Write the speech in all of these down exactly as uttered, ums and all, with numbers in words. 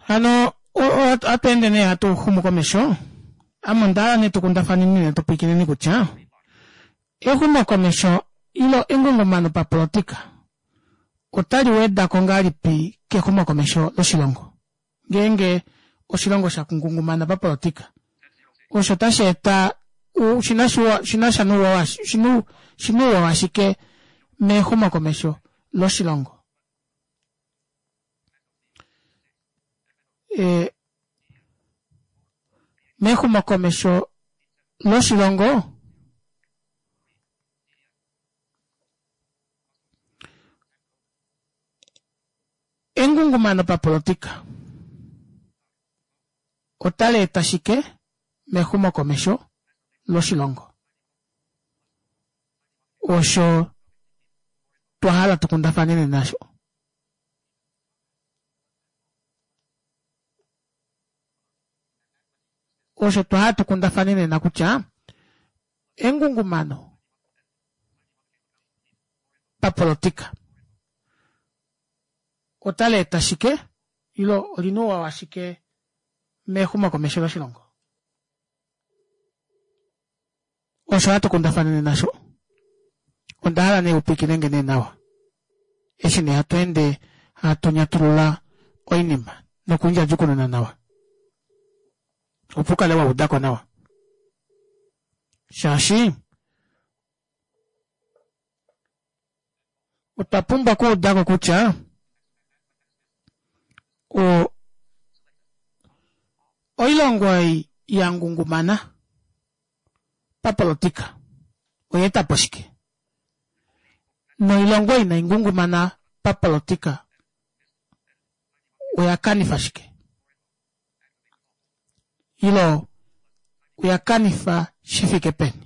Hano ohatu ende nee hatu xumu komesho, ame ondahala nee tukundafaneni nee tupwikineni kutya exumokomesho ile engungumano papolitika otali wedako ngahelipi kexumokomesho loshilongo ngeenge oshilongo shangungumana papolitika osho ota sheeta oshinasha nouwa oshina ouwa washike mexumokomesho loshilongo ee mexumokomesho loshilongo engungumano papolitika otaleeta shike mexumokomesho loshilongo osho twahala tukundafane nena aasho osho twahala tukundafane nena kutya engungumano papolitika otaleeta shike ile olina ouwa washike mexumokomesho loshilongo osho hatu kundafana nena aasho ondahala nee upwiikinenge nee nawa eshi nee hatu ende hatu nyatulula oinima nokundjadjukununa nawa opo ukale waudako nawa shaashi otwa pumbwa okuudako kutya o oilongo ei yangungumana papolitika oyaetapo shike noilongo ei inaingungumana papolitika oya kanifa shike ile oya kanifa shifike peni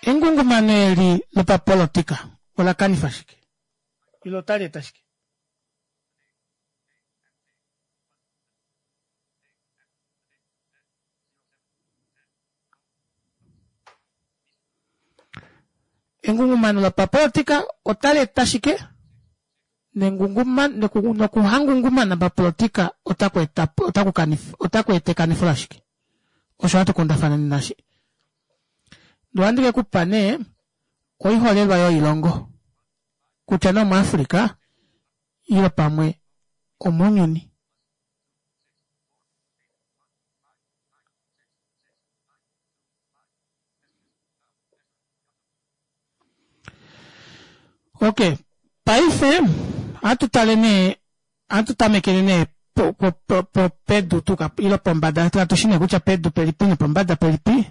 engungumano eli lopapolitika ola kanifa shike ile otali eta shike engungumano lopapolitika otali eta shike nokuhangungumana papolitika otaku eta ekanifo lashike osho hatu kundafana nena eshi ndee ohandi kekupa nee oiholelwa yoilongo kutya nee omu africa ile pamwe omounyuni okey paife ohatu tale nee ohatu tamekele nee pedu ile pombada katushi nee kutya pedu pelipi nopombada pelipi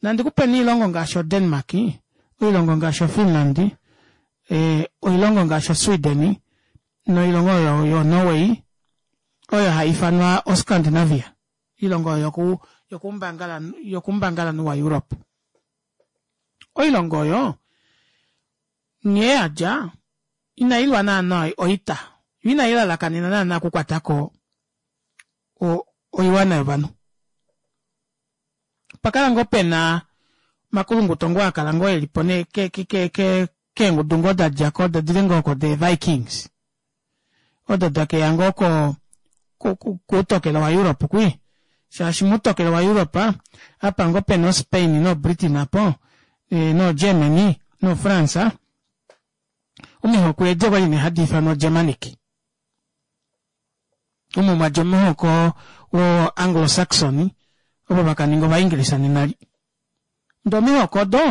nandikupe nee oilongo ngaashi o denmark oilongo ngaashi o finland oilongo ngaashi o sweden noilongo oyo yoo norway oyo haifanwa o scandinavia oilongo oyo yokoumbangalanhu wa europe oilongo oyo nghee yadja inailwa naana oita yoo inailalakanena naana okukwatako oiwana yovanhu opakala ngoo pena omakulunguto ngoo akala ngoo elipo nee keengudu ngoo dadjako dadile ngoo oko the vikings odo dakeya ngoo koutokelo wa europe kwii shaashi moutokelo wa europe apa ngoo pena o spain no britain aapo noo germany no france omihoko edi okwali nee hadiifanwa germanic omo mwadja omuhoko wo anglo saxon ovo vakaninga ovaengelisa nena eli ndee omihoko odo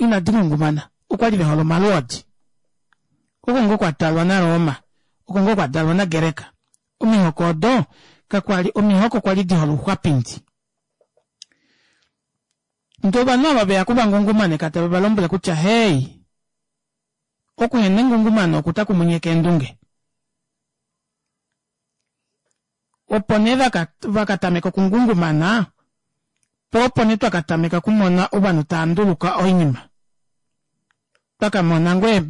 inadi ngungumana okwali vehole omalwoodi oko ngoo kwadalwa na roma oko ngoo kwadalwa na greka omihoko odo kakwali omihoko kwali dihole ouxwapindi ndee ovanhu ava veya okuvangungumaneka tave valombwele kutya hey okuhena engungumano oku otakumunyeke eendunge opo nee vakatameka okungungumana poo opo nee twakatameka okumona ovanhu tava oinima twakamona ngoo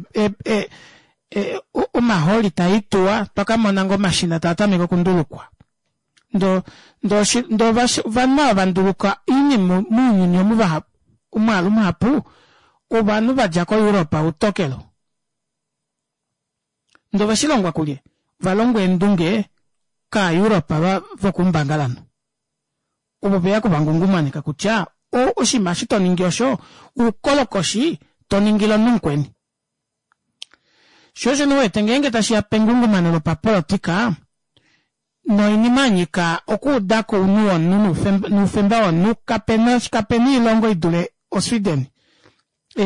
omahooli taituwa twakamona ngoo omashina taatameke okundulukwa ndoo ndoo ovanhu ava vanduluka oinima mounyuni omu vahapu omwaalu muhapu ovanhu vadja koEurope utokelo. Ndee oveshilongwa kulye? Ovalongwa eendunge kaaEurope vokoumbangalanhu. Ovo veya okuvangungumaneka kutya oshinima eshi toningi osho oukolokoshi toningile omunhu mukweni. Shoo osho nee uwete ngeenge tashiya pengungumano lopapolitika noinima yanyika okuudako ounhu womunhu noufemba womunhu kapena kapena oilongo idule o sweden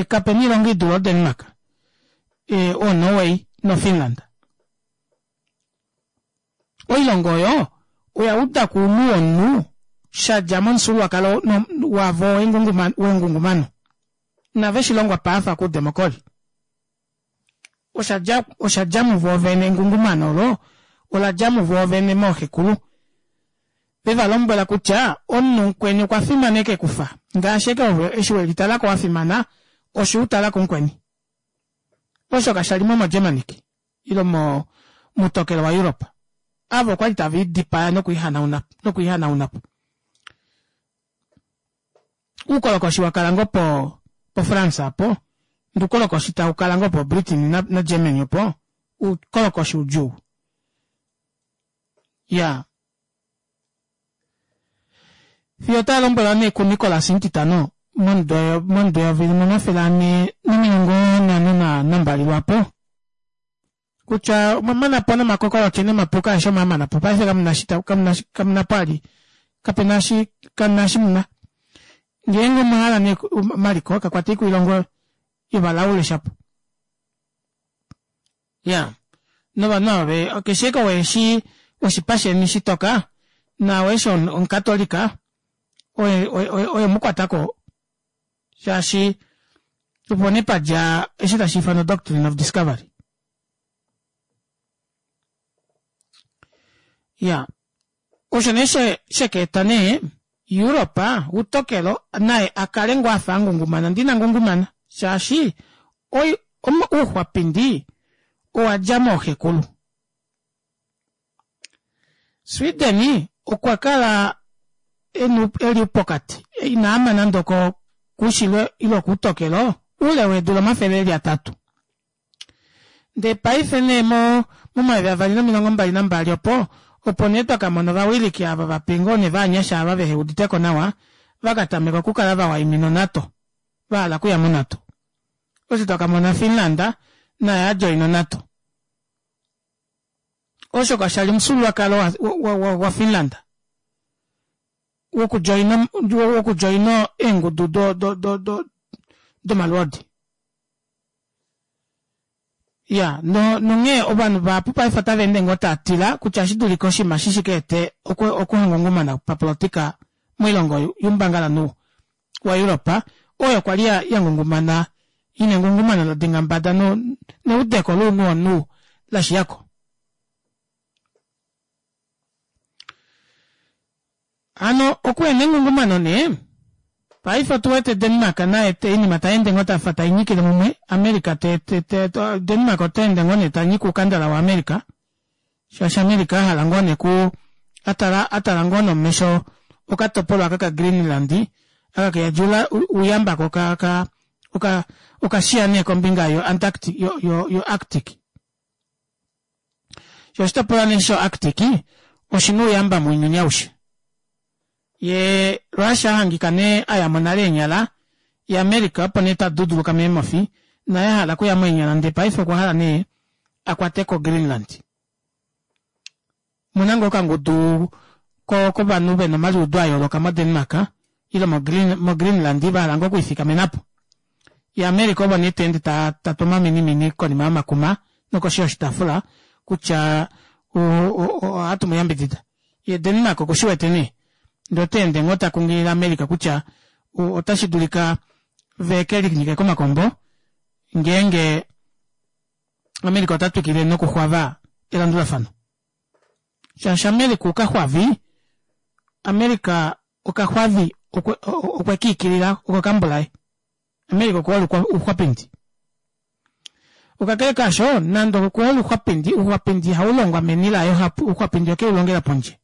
kapena oilongo idule o denmark o norway no finland. Oilongo oyo oyaudako ounhu womunhu shadja momufyuululwakalo wavo wengungumano. Inave shilongwa paafa koudemocry. Oshadja oshadja muvo vene engungumano olo oladja muvo vene mooxekulu. Vevalombwela kutya omunhu mukweni okwa fimana ekekufa ngaashi ashike ove eshi welitalako wafimana osho utalako mukweni. Osho kashalimo mo germanic ile mo moutokelo wa europe. Ava okwali tave lidipaya nokwiihanaunapo. Oukolokoshi wakala ngoo po po france aapo ndee oukolokoshi taukala ngoo po britain na germany opo oukolokoshi udjuu. Iyaa fiyo otalombwelwa nee ku nicolas omutitano momudo momudo eyovi limwe omafele anhe nomilongo nhano nambali lwaapo kutya omwamanapo nomakokolotye nomapuka aeshe omwaamanapo paife kamuna eshi kamunapo vali kapena eshi kamuna eshi muna ngeenge omwahala nee omaliko kakwatei koilongo yovalaule shapo. Iyaa novanhu ava keshe ashike ou eshi oshipa sheni shitoka naau eshi omukatolika oye oye mukwatako shaashi opo nee padja eshi tashiifanwa doctrine of discovery. Iyaa osho nee shekaeta nee europe utokelo naye akale ngoo afa angungumana ndee ina ngungumana shaashi ouxwapindi owadja mooxekulu. Sweden okwa kala eli pokati inaama nande okoushilo ile okoutokelo oule weedula omafele eli atatu. Ndee paife nee momayovi avali nomilongo mbali nambali opo opo nee twakamona ovawiliki ava vape ngoo nee ovanyasha ava veheuditeko nawa vakatameka okukala vawaimina o nato vahala okuya mo nato. Osho twakamona finland naye adjoina o nato. Osho kashali omufyuululwakalo wa finland wokudjoina wokudjoina eengudu do do do domalwoodi. Iyaa nonghee ovanhu vahapu paife otavaende ngoo taatila kutya oshidulika oshinima eshi shikaete okuhangungumana papolitika moilongo youmbangalanhu wa europe oyo kwali yangungumana ina engungumano ladenga mbada neudeko lounhu womunhu lashiyako. Hano okuhena engungumano nee paife otuwete denmark naye oinima tayeende ngoo tafa tainyikile mumwe america denmark otaende ngoo nee tanyike oukandala wa america shaashi america ahala ngoo nee kuu atala atala ngoo nomesho okatopolwa aka ka greenland aka keyadi ouyamba ko oka oka okashiya nee kombinga yo antarctic yo yo arctic. Shoo oshitopolwa nee sho arctic oshina ouyamba mounyuni aushe. Yee russia ahangika nee ayamo nale eenyala ye america opo nee taduduluka meemofi naye ahala okuyamo eenyala ndee paife okwahala nee akwateko greenland. Omuna ngoo okangudu kovanhu vena omaliudo ayooloka mo denmark ile mo greenland vahala ngoo okwiifikamenapo. Ye america ovo nee taende tatu omaminimini konima yomakuma nokoshi yoshitaafula kutya ohatu muyambidida. Ye denmark okushiwete nee ndee otaende ngoo takunghilile america kutya otashi dulika vekelinyike komakombo ngeenge america ota twikile nokuxwava elandulafano. Shaashi america okaxwavi america okaxwavi okwekiikilila oko kambulaye. America okuhole ouxwapindi. Okakele kaasho nande okuhole ouxwapindi ouxwapindi ihaulongwa meni laye ouxwapindi okeulongela pondje.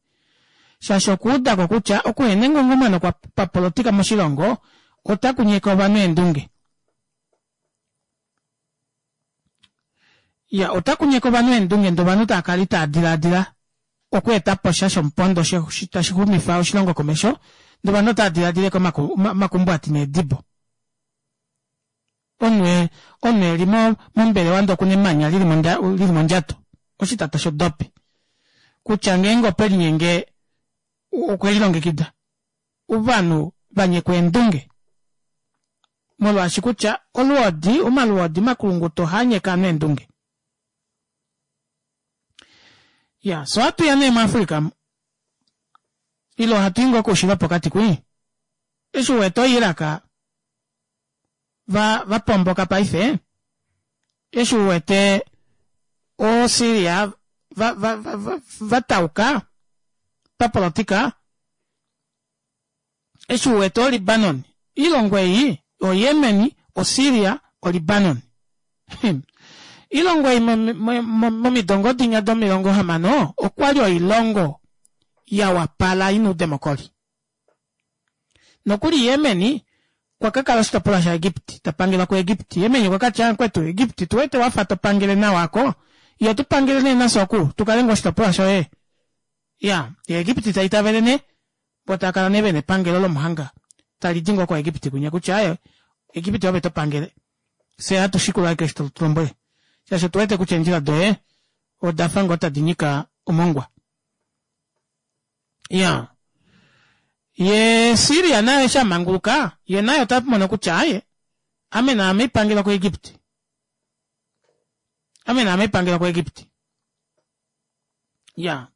Shaashi okuudako kutya okuhena engungumano papolitika moshilongo ota kunyeke ovanhu eendunge. Ya ota kunyeka ovanhu eendunge ndee ovanhu tava kala itaa dilaadila okweeta po sha shomupondo tashi xumifa oshilongo komesho ndee ovanhu otava dilaadila ashike omakumbwati needibo. Omunhu omunhu eli mombelewa ndee okuna emanya lili mondjato oshitata shodopi kutya ngeenge okwelinyenge okwelilongekida. Ovanhu vanyekwa eendunge molwaashi kutya olwoodi omalwoodi omakulunguto ohaanyeke ovanhu eendunge. Iyaa fyee ohatuya nee mu africa omu ile hatui ngoo koushilo wopokati kwii eshi uwete oo iraq vapomboka paife eshi uwete oo syria vatauka papolitika eshi uwete oo libanon oilongo ei o yemen o syria o libanon oilongo ei momido ngoo dinya domilongo hamano okwali oilongo yawapala ina oudemocry nokuli yemen okwakakala oshitopolwa sha egypt tapangelwa ku egypt yemen okwakatya mukwetu egypt otuwete wafa topangele nawa aako ila utupangele nee nafye oku tukale ngoo oshitopolwa shoye iyaa yee egypt taitavele nee voo taakala nee vena epangelo lomuhanga talidi ngoo ko egypt kwinya kutya aaye egypt oove topangele fyee ohatu shikula ashike eshi totulombwele shaashi otuwete kutya eendjila doye odafa ngoo tadi nyika omongwa. Iyaa yee syria naye eshi amanguluka yee naye otamono kutya aaye ame naame haipangelwa ku egypt ame naame haipangelwa ku egypt iyaa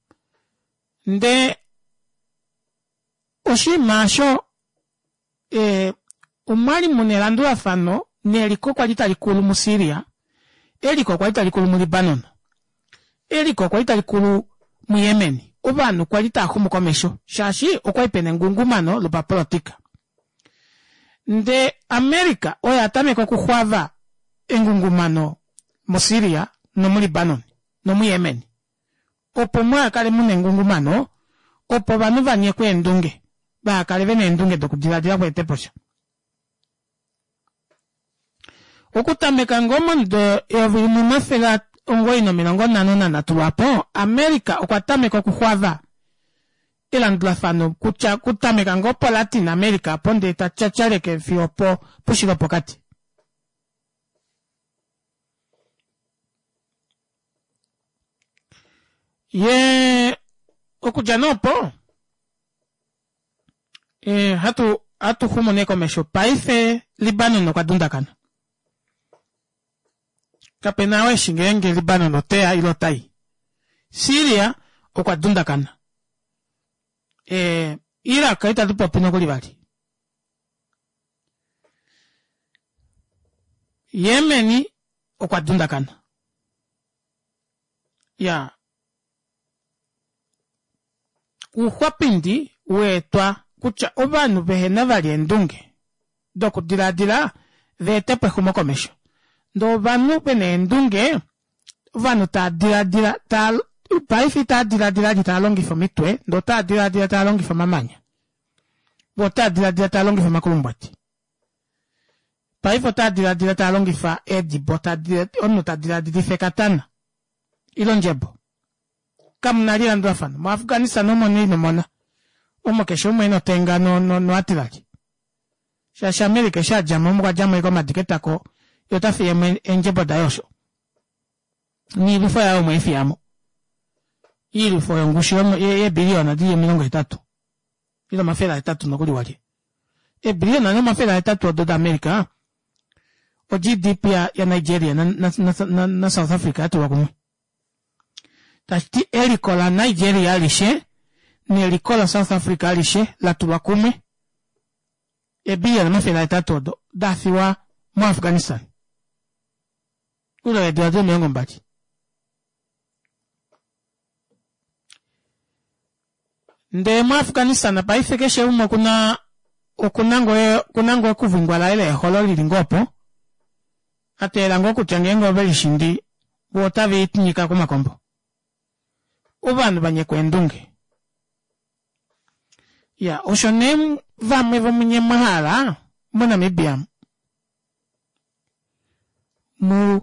ndee oshiima aasho ee omwali muna elandulafano neliko kwali talikulu mu syria eliko kwali talikulu mu libanon eliko kwali talikulu mu yemen ovanhu kwali taaxumu komesho shaashi okwali pena engungumano lopapolitika ndee america oye atameka okuxwava engungumano mo syria nomu libanon nomu yemen opo muhakale muna engungumano opo ovanhu vanyekwe eendunge vahakale vena eendunge dokudilaadila okweetaposha. Okutameka ngoo momudo eyovi limwe omafele omugoyi nomilongo nhano nanhatu lwaapo america okwa tameka okuxwava elandulafano kutya okutameka ngoo po latin america aapo ndee tatyatyaleke fiyo poushilo wopokati. Yee okudja nee opo hatu hatuxumu nee komesho paife libanon okwa dundakana kapena ou eshi ngeenge libanon oteya ile otayi syria okwa dundakana iraq ita tupopi nokuli vali yemen okwa dundakana iyaa ouxwapindi waetwa kutya ovanhu vehena vali eendunge dokudilaadila vaetepo exumokomesho ndee ovanhu vena eendunge ovanhu tava dilaadila taa paife itava dilaadila vali taalongifa omitwe ndee otava dilaadila taalongifa omamanya voo otava dilaadila taalongifa omakulumbwati paife otava dilaadila taalongifa eedibo omunhu tadilaadilifa ekatana ile ondjebo kamuna elandulafano mo afghanistan omo nee inomona omo keshe umwe ena otenga no artillery shaashi america eshi adjamo okwa djamo ashike omadi ketako yee ota fiyemo eendjebo daye osho noilwifo yaye omo eifiyamo oilwifo yongushu yeebiliyona dili omilongo hetatu ile omafele ahetatu nokuli walye eebiliyona nomafele ahetatu odo da america o G D P ya nigeria na south africa yatulwa kumwe tashiti eliko la nigeria alishe neliko la south africa alishe latulwa kumwe eebiliyona omafele ahetatu odo dafiwa mo afghanistan oule weedula dili omilongo mbali. Ndee mo afghanistan paife keshe umwe okuna okuna ngoo okuna ngoo ekuvingwa laye leeholo lili ngoo opo ateelela ngoo kutya ngeenge ovelishindi voo otave linyika komakombo. Ovanhu vanyekwa eendunge. Iyaa osho nee vamwe vomunye mwahala mo namibia mu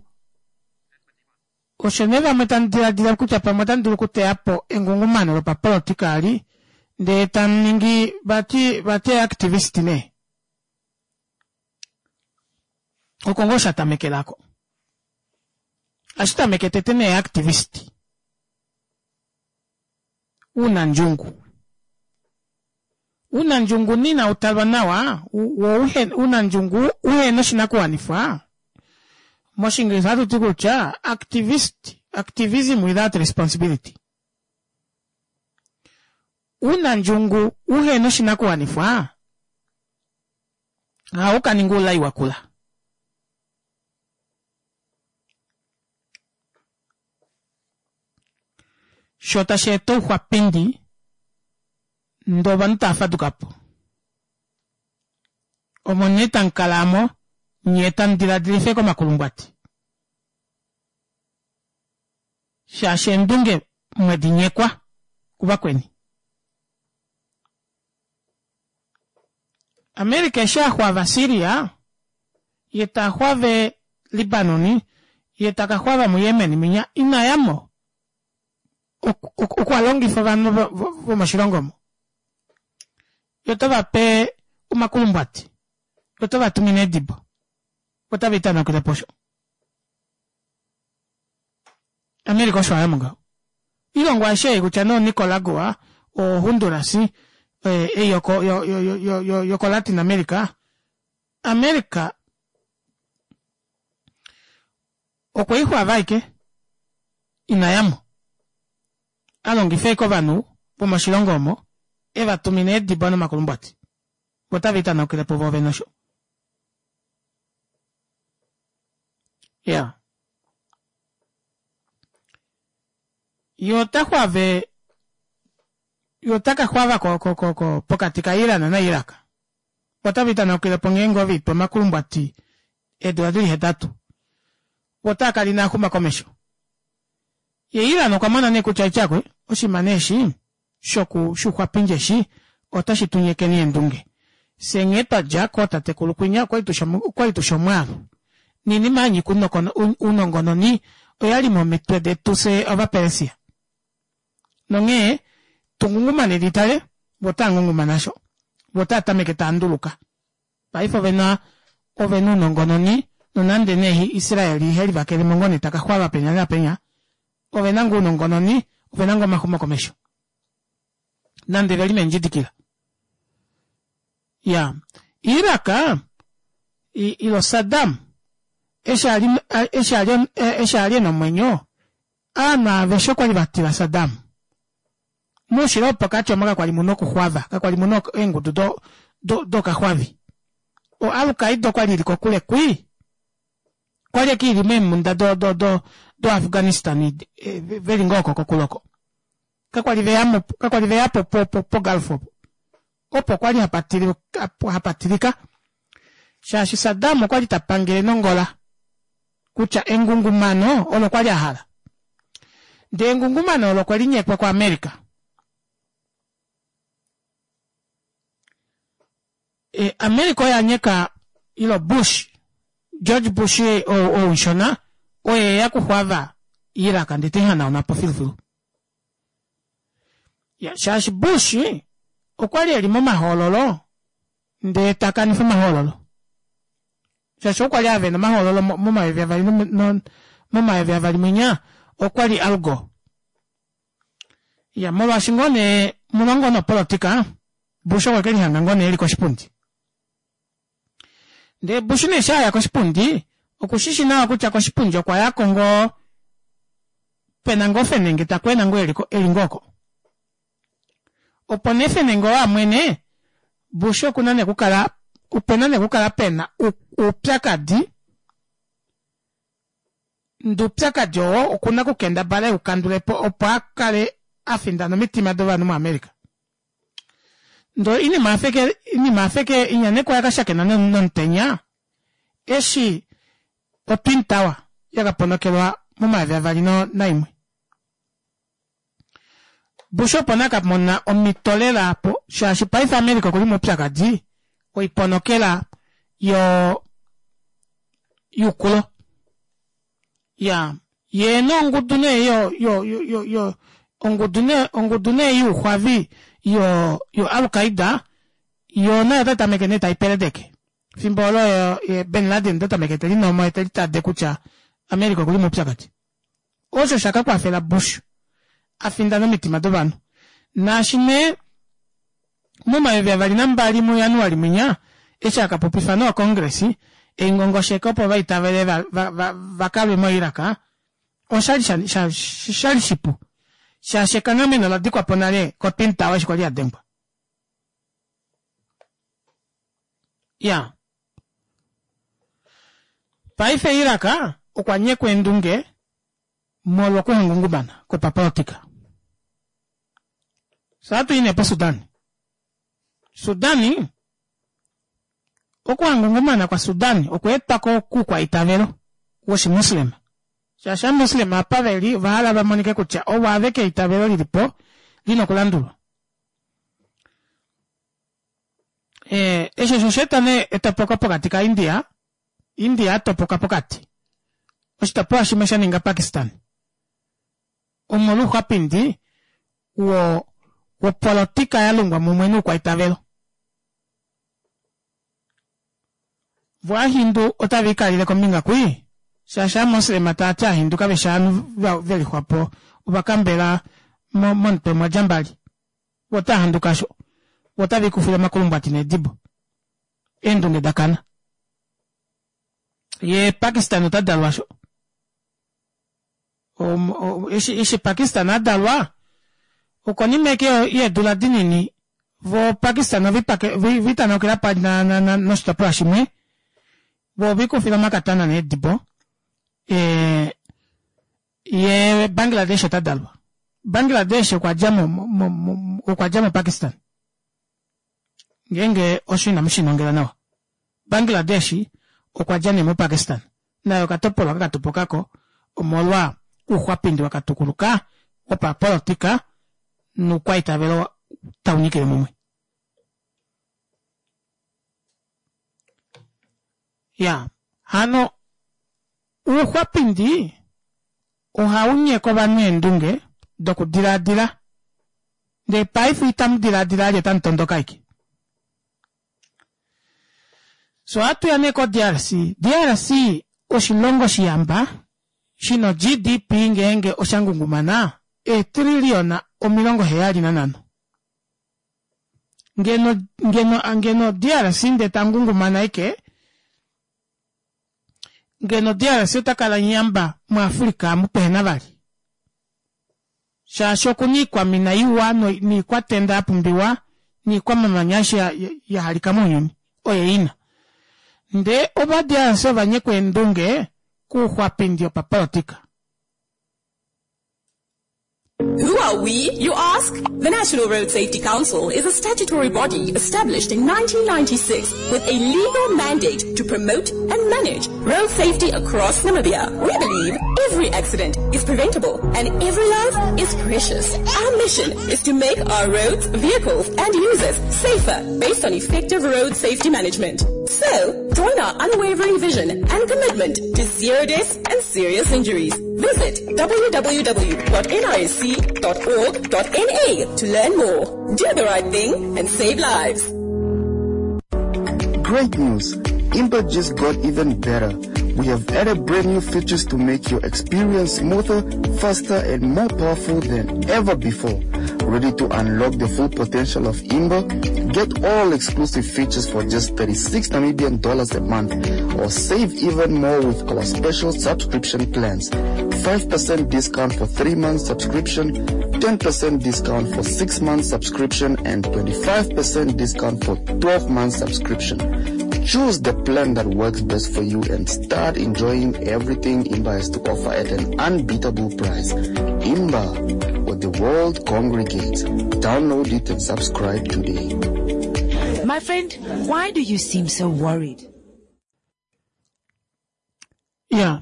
Osho nee vamwe tamu diladila kutya pamwe otamu dulu okuteya po engungumano lopapolitika ali ndee tamuningi vati vati activist nee. Oko ngoo shatamekelako. Ohashi tameke tete nee activist. Unandjungu. Unandjungu nina utalwa nawa wo unandjungu uhena oshinakuwanifwa moshingilisha ohatuti kutya activist activism without responsibility. Ounandjungu uhena oshinakuwanifwa ohaukaninga oulai wakula. Shoo tasheeta ouxwapindi ndee ovanhu taafadukapo omo nee tamukala aamo nyee tamudiladilifa ashike omakulumbwati shaashi eendunge mwedinyekwa kuvakweni. America eshi axwaava Syria yee taxwave Libanon yee takaxwava mu Yemen munya inayamo okwalongifa ovanhu vomoshilongo omo yee otevape omakulumbwati yee otevatumine eedibo voo otaviitanaukilepo osho. America osho ayamo ngaho. Oilongo aishe ei kutya nee o Nicaragua o Honduras ei yoko yoko Latin America, America okweixwaava ashike inayamo alongifa ashike ovanhu vomoshilongo omo evatumina eedibo nomakulumbwati voo otaviitanaukilepo voovene osho. Iyaa yee ota xwaave yee otakaxwava ko- ko- ko pokati ka iran na iraq otaviitanaukilepo ngeenge ovemupe omakulumbwati eedula dili hetatu voo otaakala inaaxuma komesho. Yee iran okwamona nee kutya atyakwe oshinima nee eshi shoku shouxwapindi eshi ota shitunyekeni eendunge fyee nghee twadja kootatekulu kwinya okwali tushi omwaalu noinima yanyika ounongononi oyali momitwe detu fyee ovapersia nonghee tungungumaneni tale voo otangungumana aasho voo otaatameke taanduluka paife ovena ovena ounongononi nonande nee israel helivakelemo ngoo nee takaxwava penya naapenya ovena ngoo ounongononi ovena ngoo omaxumokomesho nande veli meendjidikila. Iyaa iraq ile saddam eshi ali eshi ali ena omwenyo ovanhu aveshe okwali vatila saddam. Moushilo wopokati omo kakwali muna okuxwava kakwali muna eengudu dokaxwavi o alqaida okwali ili kokule kwii okwali ashike ili meemunda do do do afghanistan veli ngoo oko kokule oko kakwali veyamo kakwali veyapo po gulf opo opo kwali hapatilika shaashi saddam okwali tapangele nongola kutya engungumano olo kwali ahala ndee engungumano olo okwelinyekwa ku america. America oye anyeka ile bush George Bush ou mushona oye eya okuxwava iraq ndee teihanaunapo filufilu. Iyaa shaashi Bush okwali eli momahoololo ndee takanifa omahoololo shaashi ou kwali avena omahoololo momayovi avali momayovi avali mwinya okwali al gore. Iyaa molwaashi ngoo nee omuna ngoo neepolitika Bush okwe kelihanga ngoo nee eli koshipundi. Ndee Bush nee eshi aya koshipundi okushishi nawa kutya koshipundi okwayako ngoo pena ngoo fenenge takwena ngoo eli ngoo oko. Opo nee fenenge oo amwene Bush okuna nee okukala opena nee okukala pena oupyakadi ndee oupyakadi oo okuna okukendabala eukandulepo opo akale afindana omitima dovanhu mo america. Ndee oinima oyafeke inya nee kwali yakashakena nomutenya eshi o twin tower yakaponokelwa momayovi avali naimwe. Bush opo nee akamona omito lela aapo shaashi paife america okuli moupyakadi woiponokela yoo youkulo. Iyaa Yee nongudu nee yo yo yo yo ongudu nee ongudu nee youxwavi yo yo Al-Qaeda yoo nayo otai tameke nee taipeledeke fimbo olo ye Bin Laden ota tameke telinomo yee telitade kutya America okuli moupyakadi. Osho shakakwafela Bush afindane omitima dovanhu naashi nee momayovi avali nambali mu January mwinya eshi akapopifa nee ocongress eingongosheke opo vaitavele vakalwe mo Iraq oshali shali shipu shaashi ekanghameno oladikwapo nale ko Twin Tower eshi kwali yadengwa. Iya paife Iraq okwa nyekwa eendunge molwa okuhangungumana kwopapolitika. Fye ohatu i nee po Sudan. Sudan okuhangungumana kwa Sudan okwa etwa koukwaitavelo woshimuslim shaashi ovamuslim apa veli ovahala vamonike kutya ovo aveke eitavelo lilipo lina okulandulwa. Ee eshi osho oshaeta nee etopoko pokati ka India, India atopoka pokati oshitopolwa shimwe shaninga Pakistan omolwa ouxwapindi wo wopolotika yalungwa mumwe noukwaitavelo. Vo ovahindu otave likalile kombinga kwii shaashi ovamoslema taati ovahindu kaveshi ovanhu velixwapo ovakambela momutwe mwadja mbali vo otavahanduka aasho vo otavelikufile omakulumbwati needibo eendunge dakana yee Pakistan otadalwa aasho eshi Pakistan adalwa okonima ashike yeedula dinini vo Pakistan ovetanaukila noshitopolwa shimwe voo ovelikufila omakatana needibo ee yee Bangladesh otadalwa Bangladesh okwadja mo okwadja mo Pakistan ngeenge osho ina mushinongela nawa Bangladesh okwadja nee mo Pakistan naye okatopolwa kakatopokako omolwa ouxwapindi wakatukuluka wopapolitika noukwaitavelo taunyikile mumwe. Ya hano ouxwapindi ohaunyeke ovanhu eendunge dokudilaadila ndee paife itamudilaadila vali otamutondoka ashike. Fyee ohatuya nee ko D R C, D R C oshilongo shiyamba shina o G D P ngeenge oshangungumana eetrilliona omilongo heyali nanhano. Ngeno ngeno ngeno D R C ndee tangungumana ashike ngeno D R C otakala muyamba mu Africa amu pehena vali. Shaashi okuna iikwamina iwa niikwatenda yapumbiwa niikwamamanya aishe yahalika mounyuni oye ina. Ndee ova D R C ovanyekwa eendunge kouxwapindi wopapolitika. Who are we, you ask? The National Road Safety Council is a statutory body established in nineteen ninety-six with a legal mandate to promote and manage road safety across Namibia. We believe every accident is preventable and every life is precious. Our mission is to make our roads, vehicles and users safer based on effective road safety management. So, join our unwavering vision and commitment to zero deaths and serious injuries. Visit w w w dot n i c dot org dot n a to learn more. Do the right thing and save lives. Great news! Imba just got even better. We have added brand new features to make your experience smoother, faster, and more powerful than ever before. Ready to unlock the full potential of Imba? Get all exclusive features for just thirty-six Namibian dollars a month, or save even more with our special subscription plans. five percent discount for three months subscription, ten percent discount for six months subscription, and twenty-five percent discount for twelve months subscription. Choose the plan that works best for you and start enjoying everything Imba has to offer at an unbeatable price. Imba, where the world congregates. Download it and subscribe today. My friend, why do you seem so worried? Yeah.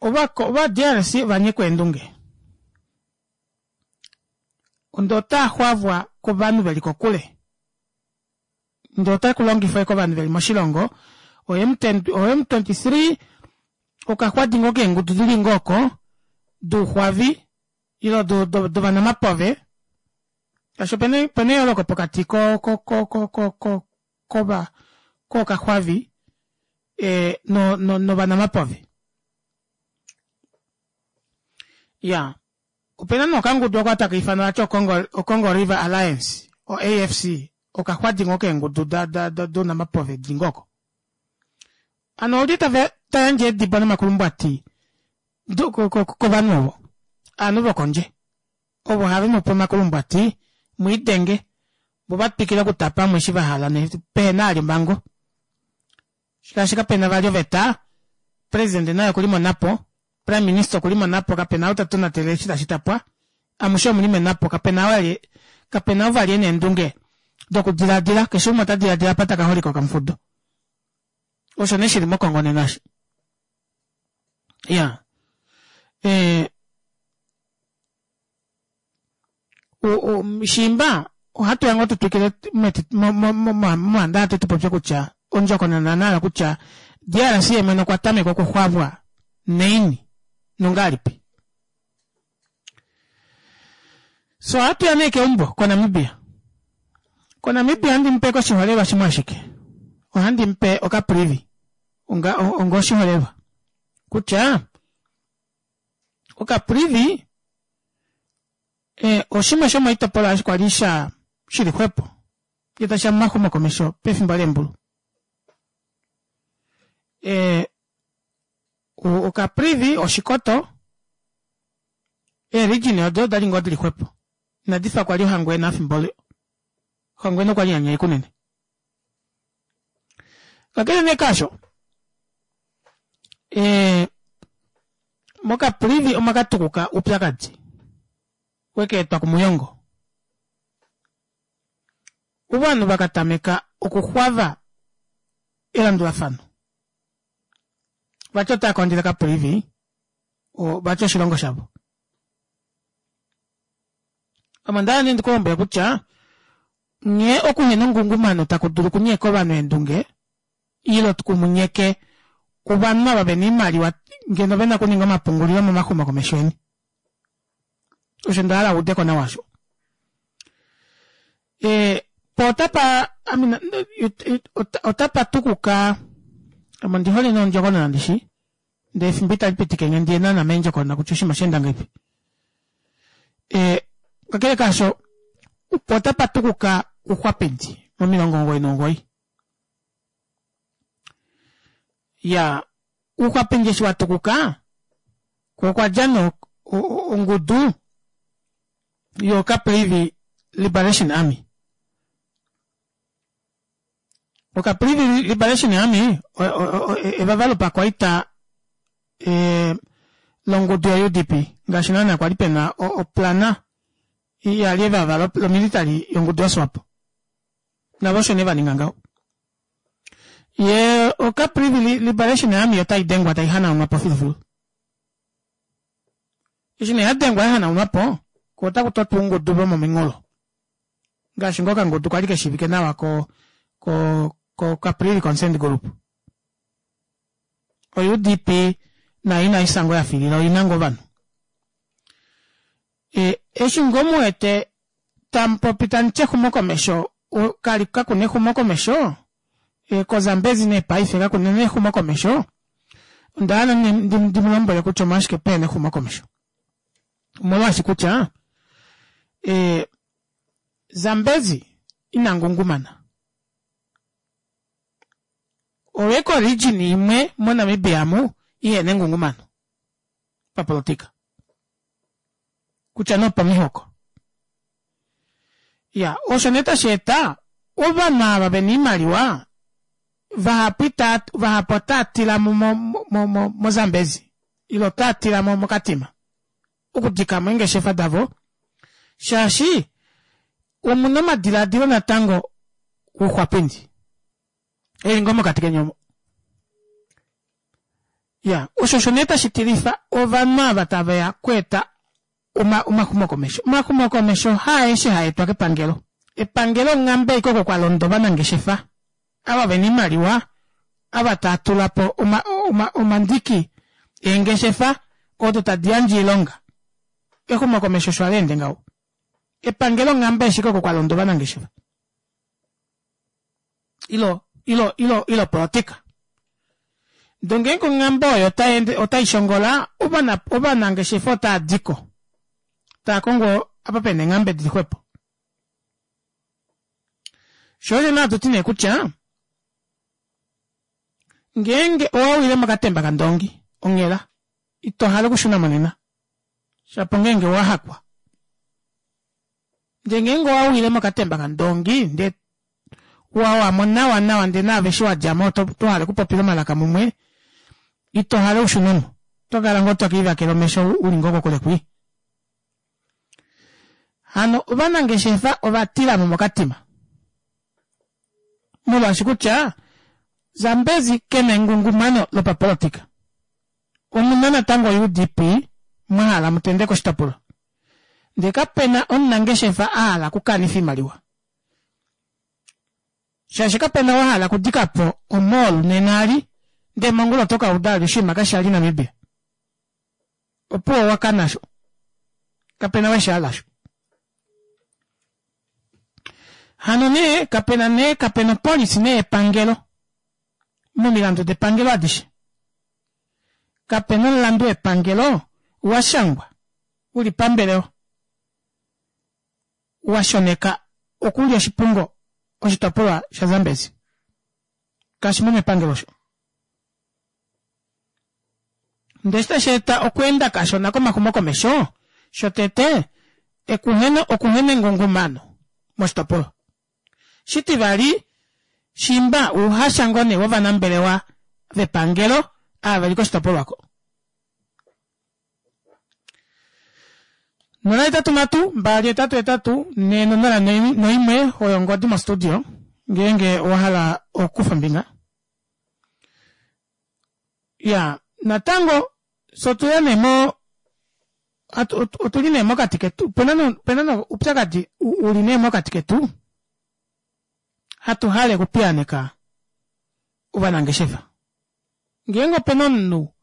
Ova ova D R C ovanyekwa eendunge. Onda otaaxwavwa kovanhu veli kokule. Ndee otakulongifwa kovanhu veli moshilongo o M twenty-three Okaxwadi ngoo keengudu dili ngoo oko duuxwavi ile dovanamapove shaashi opena eyooloko pokati ko ko ko ko kova kookaxwavi ee novanamapove. Iyaa opena nee okangudu oko takaifanwa vati o congo river alliance o A F C okaxwadi ngoo keengudu dounamapove dili ngoo oko. Hano olye tayandje eedibo nomakulumbwati kovanhu ovo ovanhu vokondje ovo havemupe omakulumbwati mwiidenge voo vatwikile okutapa ovanhu eshi vahala pehena vali omhango shaashi kapena vali oveta president naye okuli monhapo prime minister okuli monhapo kapena ou tatonatele eshi tashi tapwa amushe omuli menhapo kapena ou vali ena eendunge dokudilaadila keshe umwe otadilaadila apa takaholika okamufudo osho nee shili mo congo nena osho iyaa ee shiimba ohatuya ngoo tutwikile momandaxa tupopye kutya ondjokonona nayo kutya D R C yeemwene okwa tameka okuxwavwa naini nongahelipi. So ohatuya nee keumbo ko Namibia. Ko Namibia ohandi mupe koshiholelwa shimwe ashike. Ohandi mupe Okaprivi onga onga oshiholelwa kutya Okaprivi oshimwe shomoitopolwa kwali sha shili xwepo ngee tashiya momaxumokomesho pefimbo leembulu. Ee Okaprivi Oshikoto ee region odo odali ngoo dili xwepo inadifa kwali Ohangwena efimbo olo. Ohangwena okwali yanyaika unene. Kakele nee kaasho ee mOkaprivi omwa katukuka oupyakadi wekeetwa kumuyongo. Ovanhu vakatameka okuxwava elandulafano vati otava kondjele Caprivi vati oshilongo shavo. Ame ondahala nee ndikulombwele kutya nghee okuhena ongungumano taku dulu okunyeka ovanhu eendunge ile kumunyeke ovanhu ava vena oimaliwa ngeno vena okuninga omapungulilo momaxumokomesho eni. Osho ndahala uudeko nawa osho. Ee po otapa otapa tukuka ame ondihole nee ondjokonona ndishi ndee efimbo itali pitikenge ndiye naana meendjokonona kutya oshinima oshaenda ngahelipi. Ee kakele kaasho po otapa tukuka ouxwapindi momilongo omugoyi nomugoyi. Iyaa ouxwapindi eshi watukuka koo okwadja nee ongudu yo Caprivi Liberation Army. O Caprivi Liberation Army evava lopakwaita longudu yo U D P ngaashi naana kwali pena oplana yali evava lomilitary yongudu yoSwapo. Navo osho nee vaninga ngaho. Yee o Caprivi Liberation Army otai dengwa tai hanaunwapo filufilu. Eshi nee yadengwa yahanaunwapo ko otaku totwa oungudu vomominghulo ngaashi ngoo okangudu kwali keshiivike nawa ko ko ko Caprivi Consent Group. O U D P nayo inaisa ngoo yafilila oina ngoo ovanhu. E eshi ngoo muwete tamupopi tamuti exumokomesho kali kakuna exumokomesho ko Zambezi nee paife kakuna nee exumokomesho ondahala ndimulombwele kutya omolwashike pehena exumokomesho. Omolwaashi kutya ee Zambezi ina ngungumana. Oyo eco region imwe mo Namibia amu ihena engungumano papolitika kutya nee opamihoko. Iya osho nee tashi eta ovanhu ava vena oimaliwa vahapu ita vahapu otaatila mo mo mo Zambezi ile otaatila mo moKatima okudikamo eengeshefa davo shaashi omuna omadilaadilo natango ouxwapindi eli ngoo mokati keni omo. Iya osho osho nee tashi tilifa ovanhu ava taveya okweeta omaxumokomesho. Omaxumokomesho haaeshe haetwa kepangelo. Epangelo onghambe ashike oko kwalonda ovanangeshefa ava vena oimaliwa ava taatulapo omandiki Eengeshefa odo tadi yandje oilonga. Exumokomesho osho hali ende ngaho. Epangelo onghambe ashike oko kwa londa ovanangeshefa. Ilo, ilo, ilo, ilo politika. Ndee ngeenge onghambe oyo otai ende otai shongola, ovana ovanangeshefa otava diko. Tava kongo apa pena eenghambe dili xwepo. Sho osho nee hatu ti nee kutya ngeenge owawile mokatemba kandoongi onghela ito hale okushuna mo nena shapo ngeenge owahakwa. Ndee ngeenge owawile mokatemba kandoongi ndee wawamo nawa nawa ndee naave eshi wadjamo oto hale okupopila omalaka mumwe ito hale ushunemo oto kala ngoo tokiivakele omesho uli ngoo kokule kwii. Hano ovanangeshefa ovatilamo mokatima molwaashi kutya Zambezi kena engungumano lopapolitika. Omuna natango o U D P mwahala mutendeke oshitopolwa ndee kapena omunangeshefa ahala okukanifa oimaliwa shaashi kapena ou ahala okudikapo o mall nena eli ndee mongula oto kauda vali oshinima kashali Namibia opuwo owakana osho kapena ou eshihala osho. Hano nee kapena nee kapena opolisi nee yepangelo momilandu depangelo adishe kapena omulandu wepangelo washangwa uli pambelewa washoneka okulya oshipungo oshitopolwa sha Zambezi kashimo mepangelo osho. Ndee eshi tashi eta okweenda kashona komaxumokomesho, shotete ekuhena okuhena engungumano moshitopolwa. Shitivali, shimba ouhasha ngoo nee wovanambelewa vepangelo ava veli koshitopolwa oko. Nola hetatu nhatu mbali hetatu hetatu nhee nonola noimwe oyo ongodi mostudio ngeenge owahala okukufa ombinga. Iyaa natango fye otuya nee mo otuli nee mokati ketu opena nee oupyakadi uli nee mokati ketu hatu hale okupiyaaneka ovanangeshefa. Ngeenge opena omunhu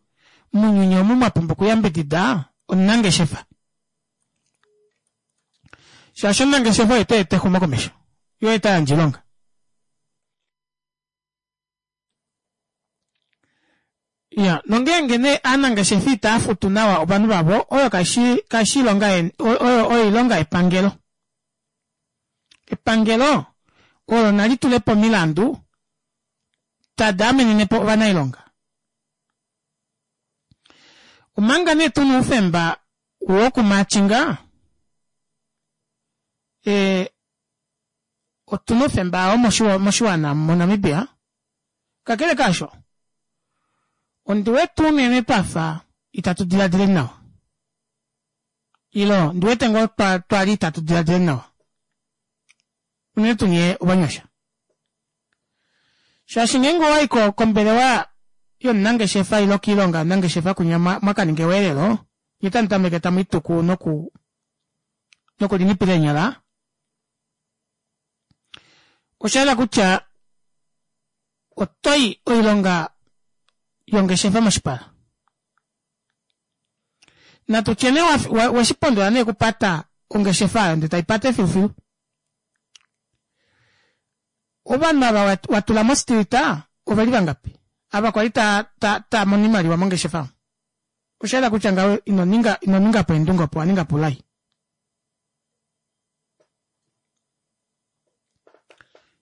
mounyuni omu mwapumbwa okuyambidida omunangeshefa shaashi omunangeshefa oye taeta exumokomesho yee oye tayandje oilonga. Iya, nongeenge nee aanangeshefa itava futu nawa ovanhu vavo, oyo kaishi kaishi oilonga oyo oilonga yepangelo. Epangelo olo nali tule po omilandu tadi amenene po ovanailonga. Omanga nee tuna oufemba wokumaachinga, ee otuna oufemba oo moshiwana moNamibia. Kakele kaasho, ondi wete unene twafa itatu diladileni nawa. Ile ondi wete ngoo twali itatu diladileni nawa. Unene tuu nyee ovanyasha. Shaashi ngeenge owai kombelewa yomunangeshefa ile koilonga yomunangeshefa kunya mwakaninga eweelelo, nye otamu tameke tamu ituku noku nokulinipila eenyala, osha yela kutya otoyi oilonga yongeshefa moshipala. Natu tye nee weshipondola nee okupata ongeshefa oyo ndee taipate filufilu. Ovanhu ava watula mostrita oveli vangapi? Ava kwali ta ta taamono oimaliwa mongeshefa omo. Osha yela kutya ngaho ino ninga ino ningapo eendunge opo owaningapo oulai.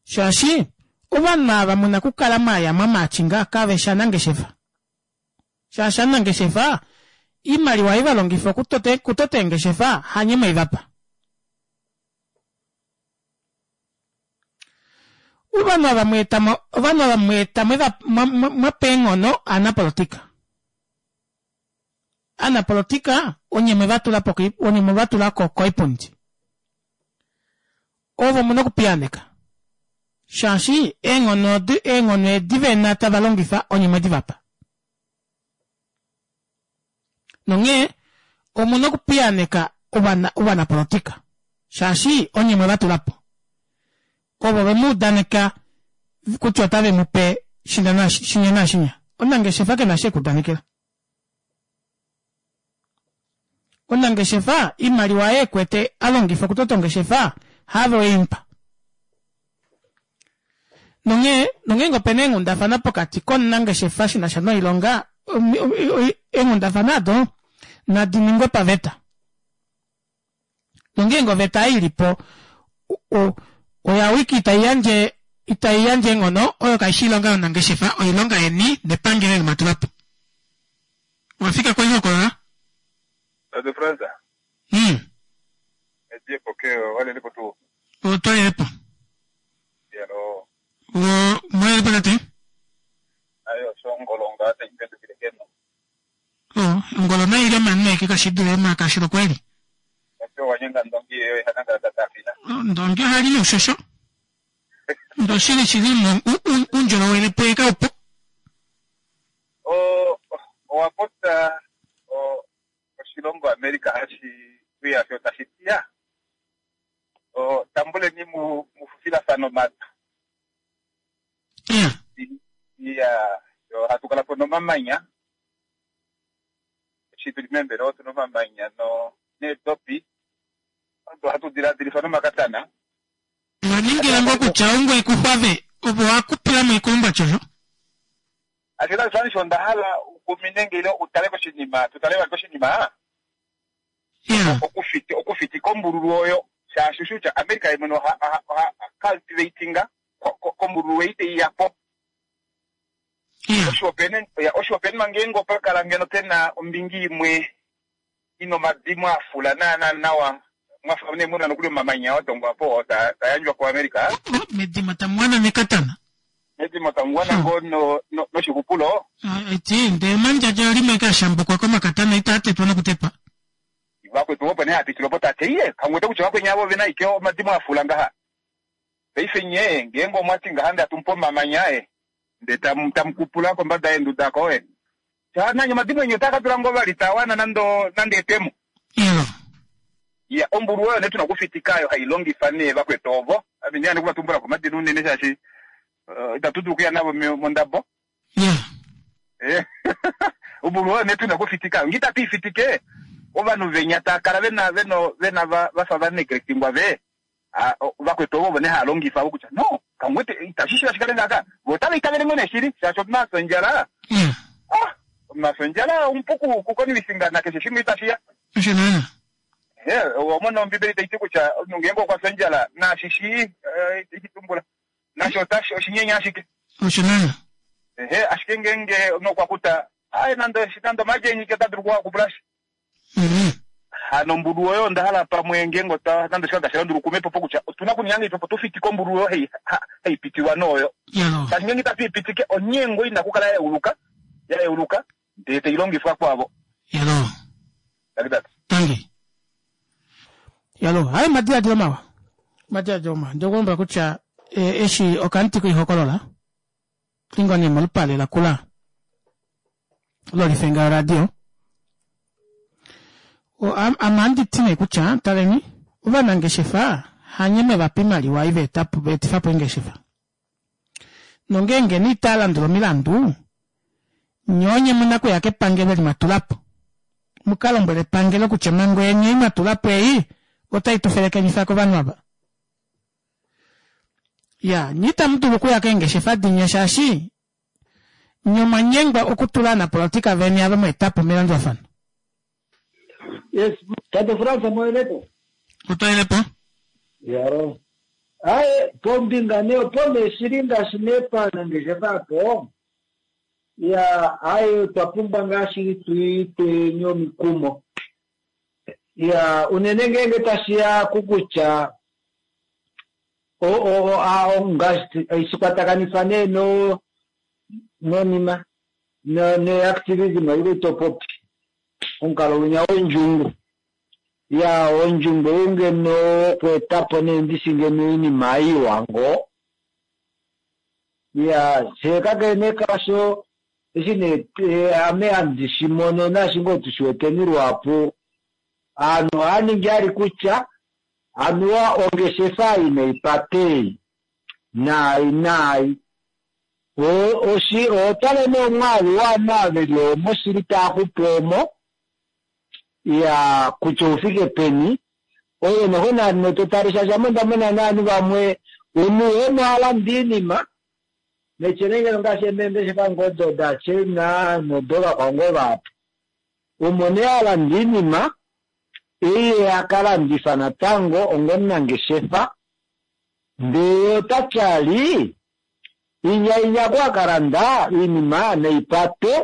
Shaashi ovanhu ava muna okukala mwaya mwamaatshinga kaveshi anangeshefa. Shaashi anangeshefa oimaliwa ei valongifa okutota eengeshefa hanye mweivapa. Ovanhu ava mweeta ovanhu ava mweeta mwapa eenghono aanapolotika. Aanapolotika onye mwevatula po onye mwevatula ko koipundi. Ovo muna okupiyaaneka shaashi eenghono odi eenghono edi vena tava longifa onye mwedi vapa. Nonghee omuna okupiyaaneka ovana ovanapolotika shaashi onye mwevatula po. Ovo vemu udaneka kutya otave mupe shinya naashinya. Omunangeshefa kena eshi ekuudanekela. Omunangeshefa imaliwa ye kwete alongifa okutota ongeshefa have weimpa. Nonghee nongeenge opena eenghundafana pokati komunangeshefa shinasha noilonga eenghundafana ado nadi ningwe paveta. Nongeenge oveta ilipo oya wiki itai yandje itai yandje eenghono oyo kaishi oilonga yomunangeshefa oilonga yeni nepangelo eli mwatulapo. Wafika koihokolola? Tate Fransa. Mm. Ediepo ke walelepo tuu. Otwalelepo. Yalo. O mwalelepo tate? Ayo shongolo ngate ipendukile keno. O ongolo nayi ile omanu eke kashidule makashilo kweli. Osho wanyenga ndongi yeyo ihananga tatafina. Ndongi ohali noushosho. Ndoshili shili uundjolowele puye kaupu. O owa popya oshilongo America hashi uya sho tashi tiya. O tambuleni mu mufufilafano matu. Yeah. Iya, yo hatu kala po nomamanya. Eshi tuli meembelewa otu nomamanya no needopi. Odo hatu diladilifa nomakatana. Waningila ngoo kutya ongwe ikuxwave opo wakupila moikulumba shosho. Ashike tashi onda hala ukumine ile utale koshinima, tutale vali koshinima. Yeah. Okufiti okufitika ombululu oyo shaashi ushi kutya America ye mwene oha oha cultivatinga kombululu ei teiyapo. Yeah. Osho opena ya osho opena ngeenge opa kala ngeno pena ombingi imwe ina omadimo afula naana nawa mwafa ne muna nokuli omamanya watongwa po ta tayandjwa ku America. Medimo tamuwana nekatana. Medimo tamuwana ngo no no noshikupulo. Eti ndee mandjadja limwe kashambukwa komakatana itatetwa nokutetwa. Vakwetu opo nee hapitile opo tate iye kamwete kutya vakweni avo vena ike omadimo afula ngaha. Paife nye ngeenge omwati ngaha nde atumupe omamanya e nde tamu tamukupula kombada yeenduda ko e. Sha nanye omadimo enyu otaa ka dula ngoo vali tawana nando nande etemo. Elo. Ya ombulu oyo nee tuna okufitika yo hai longifa nee vakwetu ovo. Ame nee andikuvatumbula komadina unene shaashi uh, itatu dulu okuya navo mondabo. Yeah. Eh. Ombulu oyo nee tuna okufitika. Ngi itatu ifitike ovanhu venya taa kala vena veno vena va vafa va neglectingwa ve vakwetu ovo nee haalongifa vo kutya no kamwete itashi shiva shikale ngaaka vo otava itavele ngoo nee shili shaashi omunhu ondjala. Yeah. Ah, omunhu ondjala omupu kukonvisinga nakeshe shimwe itashiya. Osho naana. Eh, omona ombibeli taiti kutya omunhu ngeenge okwa fya ondjala naashi shii itashi nasho otashi oshinyenya ashike. Osho naana. Ehe, ashike ngeenge omunhu okwa kuta ai nando nando omadjenyike ota dulu okukupulashi. Mm-hmm. Hano ombulu oyo onda hala pamwe ngeenge ota nando shika tashi landula kume popo kutya otuna okuninga ngeipi opo tufitike ombulu oyo hei haipitiwa nooyo. Yalo. Shaashi ngeenge itatu ipitike onyengo ina kukala ya yeuluka ya yeuluka ndee tailongifwa kwavo. Yalo. Takitatu. Tangi. Yalo, hayo madiladilo mawa. Madiladilo mawa. Ndokulombwela kutya e, eshi okamuti koihokolola lingo nee molupale lakula lolifenga yoradio. Ame ohandi ti nee kutya taleni ovanangeshefa hanye mevapa oimaliwa ei veetapo veetifapo eengeshefa. Nongeenge nee itaalandula omilandu nye onye muna okuya kepangelo eli mwatulapo. Mukalombwele epangelo kutya omhango yeni ei mwatulapo ei otai tu felekenifa kovanhu ava. Ya, nye itamu dulu okuya keengeshefa dinya shaashi nye omwanyengwa okutula ovanapolotika veni ava mweetapo melandulafano. Yes, Tate Fransa moelepo. Otwaelepo? Yaro. Aye, pombinga nee opo nee shili ngaashi nee panangeshefa apo. Ya, aye otwa pumbwa ngaashi tuitweni omikumo. Ya, unene ngeenge tashiya kukutya o o a ngaashi shikwatakanifwa nee no nonima no ne activism ile topopi. Omukalo winya wondjungu. Ya, ondjungu ou ngeno okweetapo nee ndishi ngeno oinima iwa ngoo. Ya, shee kakele nee kasho eshi nee ame handi shimono naashi ngoo tushiweteni luhapu aanhu ohaaningi ali kutya anuwa ongeshefa inaipate ei naai naai. Oshi otale nee omwaalu waanhu ava veli omo shili taaxupu omo. Ya kutya oufike peni oyo noho naano totale shaashi ame onda mona naanhu vamwe omunhu omo alanda iinima nechelengelo ngaashi emeengeshefa ngoo daChina nodo vakwao ngoo vahapu omo nee alanda iinima eye akalandifa natango ongomunangeshefa ndee otatyali inya inya akalanda iinima neipate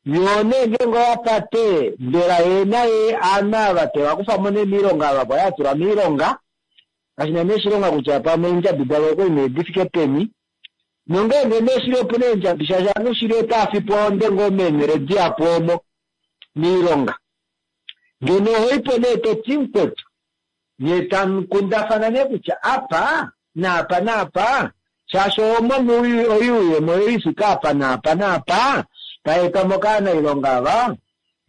yo nee ngeenge oyapate mbela ye naye aanhu ava tevakufamo nee miilonga ava kwali atula miilonga kashina nee oshilonga kutya pamwe eendjabi davo okwali nee difike peni nongeenge nee shili opuna eendjabi shaashi aanhu shili otaafipo onde ngoo meenhele dihapu omo miilonga ngeno ohoipo nee toti mukwetu nye tamukundafana nee kutya apa naapa naapa shaashi omono oyuuyemo yoifika apa naapa naapa taetwamo kaanailonga ava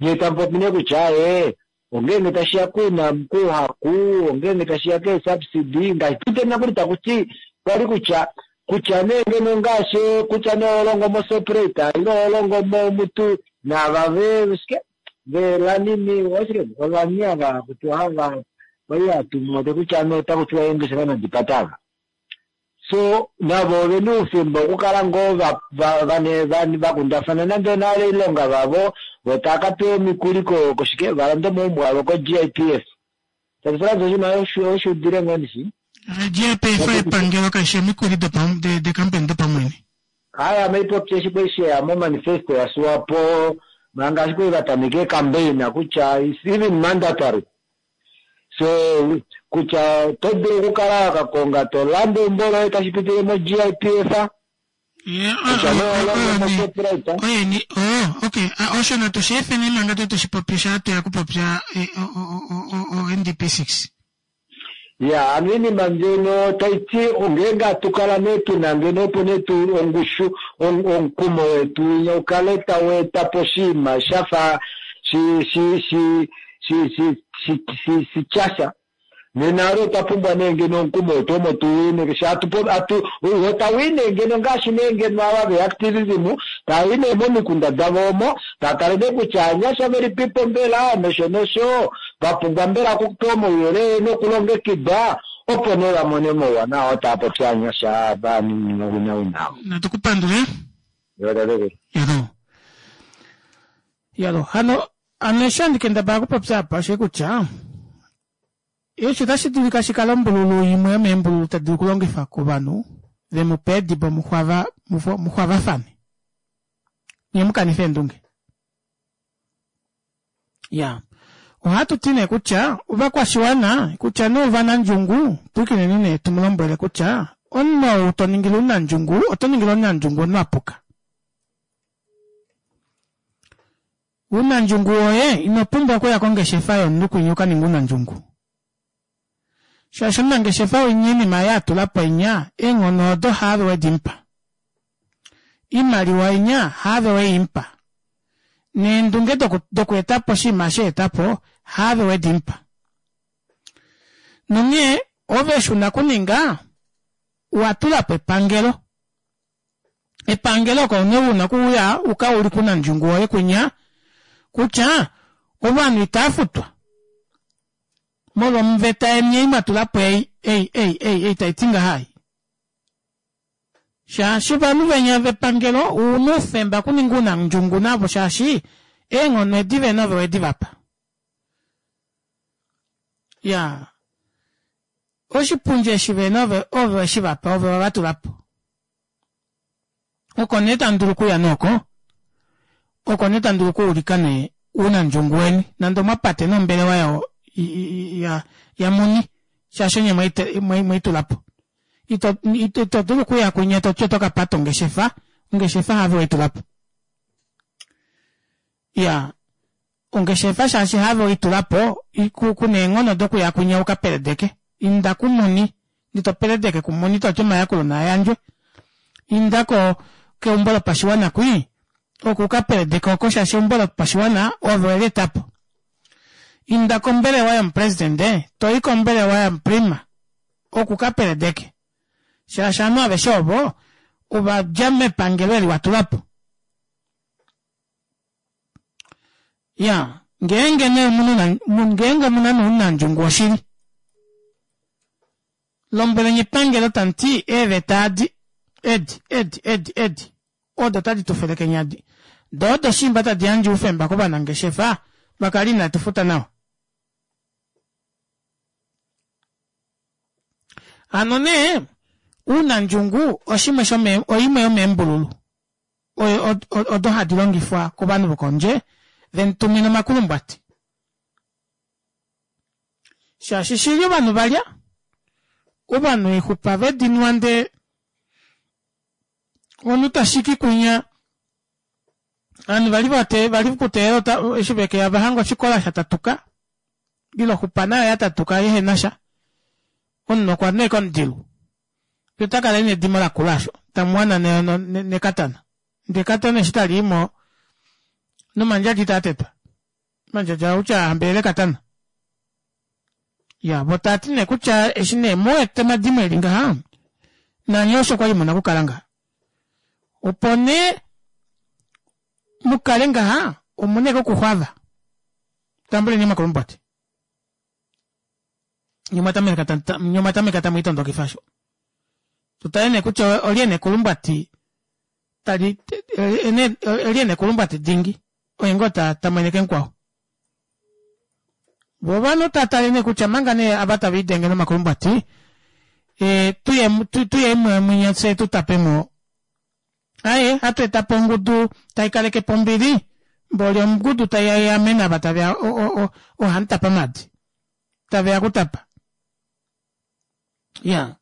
nye tamupopi nee kutya ee ongeenge tashiya kuna kuhaku ongeenge tashiya keesubsidy ngaashi tutena kuli takuti kwali kutya kutya nee ngeno ngaashi kutya nee oholongo moShoprite ile oholongo momutu naava ve shike velanini oshike ovani ava kutiwa hava kwali hatumote kutya nee otakutiwa eengeshefa nadipatava so navo ovena oufemba okukala ngoo vakundafana nande onale oilonga vavo vo tava kapewa omikuli koshike valande omaumbo avo ko G I P F tati oshinima oshuudile ngoo ndishi G I P F epangelo kaishi omikuli dekampani dopamwene haya maipopya eshi kwali sheya momanifesto yaSwapo manga ashike vatameke ecampaign kutya is even mandatory so kutya oto dulu okukala wakakonga tolanda eumbo loye tashi pitile mo G I P F oyeni oh okay osho natu sheefeni manga tu tushipopya sha tuya kupopya o N D P six ya ano iinima mbyono taiti ongeenge atukala nee tuna ngeno opo nee tu ongushu omukumo wetu ukale tau eta po oshinima shafa shi shi shi shi shi shi shi tyasha nena alo otwa pumbwa nee ngeno omukumo wetu omo tuwine atu otawine ngeno ngaashi nee ngeno ava veactivism tawine momikunda davo omo takale nee kutya anyasha velipipo mbela nosho nosho vapumbwa mbela okupewa omauyelele nokulongekida opo nee vamone omauwanawa taa popi anyasha vaninowinawina. Natukupandule yalo yalo hano ano eshi handi kendabala okupopya apa oshe kutya eshi otashi dulika shikale ombululu imwe yomeembululu tadi dulu okulongifwa kovanhu vemupe edibo muxwavafane nye mukanife eendunge. Ya ohatu ti nee kutya ovakwashiwana kutya nee ovanandjungu pwikineni nee tumulombwele kutya omunhu ou toningile omunandjungu oto ningile omunandjungu omunhu apuka. Unandjungu woye ino pumbwa okuya kongeshefa yomunhu kwinya ukaninga unandjungu. Shaashi omunangeshefa winya iinima ye atulapo inya eenghono odo haave wedimpa. Iimaliwa inya haave weimpa. Neendunge dokweetapo oshinima sheetapo haave wedimpa. Nonghee ove eshi una kuninga watulapo epangelo. Epangelo oko nee una okuuya ukaulike unandjungu woye kwinya kutya ovanhu itafutwa molwa omuveta yeni ei mwatulapo ei ei ei ei ei taiti ngahai. Shaashi ovanhu venya vepangelo una oufemba okuninga unandjungu navo shaashi eenghono edi vena ove wedi vapa. Ya oshipundi eshi vena ove ove weshi vapa ove wavatulapo. Oko nee tamu dulu okuya nooko oko nee tamu dulu okuulika nee unandjungu weni nande omwapate nombelewa yawo ya ya muni shaashi onye mweitulapo. Ito ito dulu okuya kwinya toti oto kapata ongeshefa ongeshefa have weitulapo. Ya ongeshefa shaashi have weitulapo kuna eenghono dokuya kwinya ukapeledeke. Inda kumuni ndito peledeke kumuni toti omayakulo naayandjwe. Inda ko keumbo lopashiwana kwii oku ukapeledeke oko shaashi eumbo lopashiwana ove welietapo. Inda kombelewa yomupresidente toi kombelewa yomuprima oku kapeledeke shaashi ovanhu aveshe ovo ovadja mepangelo eli watulapo. Ya Ngeenge nee ngeenge omuna nounandjungu woshili lombweleni epangelo tamuti eeveta adi edi edi edi edi odo tadi tufelekenya adi doo odo shimba tadi yandje oufemba kovanangeshefa vakale inatufuta nawa. Hano nee ounandjungu oshimwe shome oimwe yomeembululu odo hadi longifwa kovanhu vokondje vemutumina omakulumbwati. Shaashi shili ovanhu valya ovanhu exupa vedinwa ndee omunhu tashiki kunya ovanhu vali vate vali kuteelela eshi vekeya vahanga oshikola shatatuka ile oxupa nayo yatatuka yehenasha omunhu okwa nweka omudilu otakala ena edimo lakula osho tamuwana nekatana ndee ekatana eshi taliimo nomandjadja itaatetwa mandjadja outya ahambelela ekatana ya vo taati nee kutya eshi nee muwete omadimo eli ngaha nanye osho kwali muna okukala ngaha opo nee mukale ngaha omuna ashike okuxwava tambuleni omakulumbwati nye omwatameka tamwiitondokifa osho tutale nee kutya olye ena ekulumbwati tali olye ena ekulumbwati dingi oye ngoo tamweneke mukwao. Vo ovanhu tatale nee kutya manga nee ava taviidenge nomakulumbwati e tuye tuye mwinya fye tutapemo aye hatu etapo ongudu taikalekepo ombili mboli ongudu taiamene ava taveya ohamutapa maadi taveya okutapa iya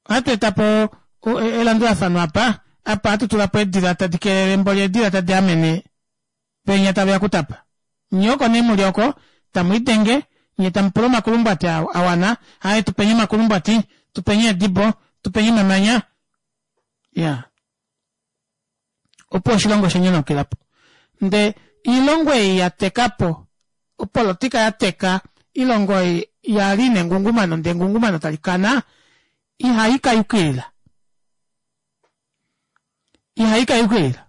ohatu etapo elandulafano apa apa ohatu tulapo eedila tadi kelele mboli eedila tadi amene venya taveya okutapa nye oko nee muli oko tamwiidenge nyee tamupula omakulumbwati awana aaye tupeni omakulumbwati tupeni eedibo tupeni omamanya iya opo oshilongo oshanyanaukilapo ndee oilongo ei yatekapo opolitika yateka oilongo ei yali ina engungumano ndee engungumano talikana ihaikayukilila ihaikayukilila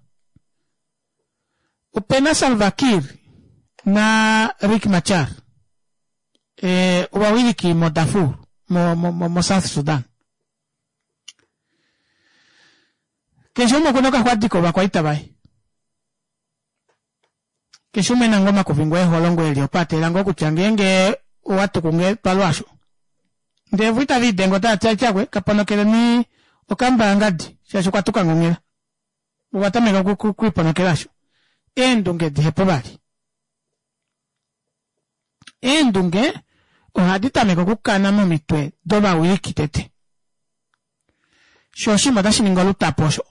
opena Salva Kiir na Riek Machar e, ovawiliki mo Darfur mo, mo, mo, mo South Sudan keshe umwe okuna okaxwadiko ovakwaita vaye keshe umwe ena ngoo omakuvingo eholongo eli opo ateelela ngoo kutya ngeenge owatuku nge palwaasho ndee vo itaviidenga otaati tyakwe kaponokeleni okamba yangadi shaashi okwatuka ngonghela ovatameka okwiiponokela asho eendunge dihepo vali eendunge ohadi tameke okukana momitwe dovawiliki tete sho oshinima otashi ningi olutapo osho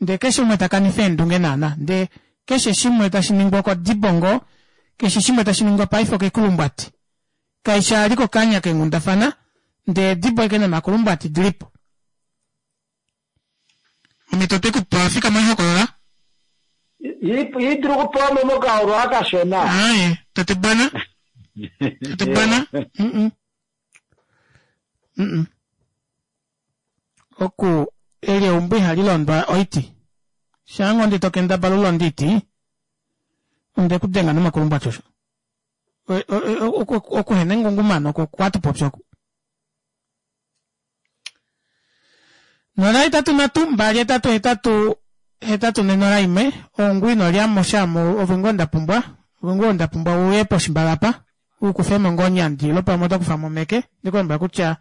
ndee keshe umwe takanifa eendunge naana ndee keshe shimwe tashi ningwa okodibongo keshe shimwe tashi ningwa paife okekulumbwati kaishi ali kokanya kenghundafana ndee edibo eke nomakulumbwati dilipo omito twekupa fika moihokolola idulu okupewa mo mokaolo akashona aye tate bwana tate bwana mm mm oku eli eumbo ihali londwa oiti shaango ndi tokendabala ulonda oiti onde kudenga nomakulumbwati osho okuhena engungumano oko kwatupopya oku nola hetatu nhatu mbali hetatu hetatu hetatu nenola imwe ongwi nolyamo shamo ove ngoo ndapumbwa ove ngoo ndapumbwa uye poshimbala apa ukufemo ngoo onyandi ilo pamwe otokufamo omeke ndikulombwela kutya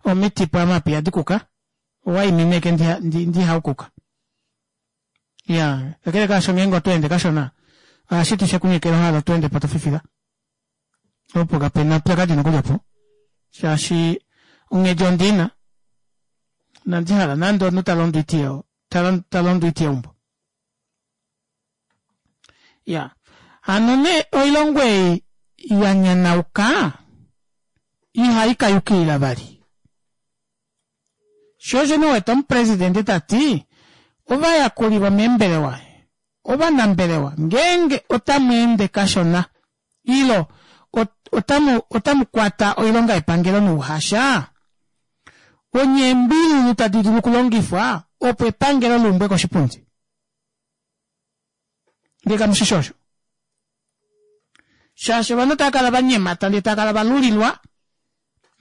omiti pamapi adikuka owaimine eke ndihaukuka iya kakele kaasho ngeenge otweende kashona ohashiti shekunyekela ohala otweende po tofifila opo kapena upyakadi nokuli opo shaashi onghedi ondina inandihala nande omunhu talondo oiti talondo oiti yeumbo ya hano nee oilongo ei yanyanauka ihaikayukilila vali sho osho nee uwete omupresidente tati ovayakuli vomeembelewa ovanambelewa ngeenge otamweende kashona ilo otamu otamu kwata oilonga yepangelo nouhasha onye eembilulu tadi dulu okulongifwa opo epangelo liumbwe koshipundi ndee kamushishi osho Shaashi ovanhu otava kala vanyemata ndee tava kala valulilwa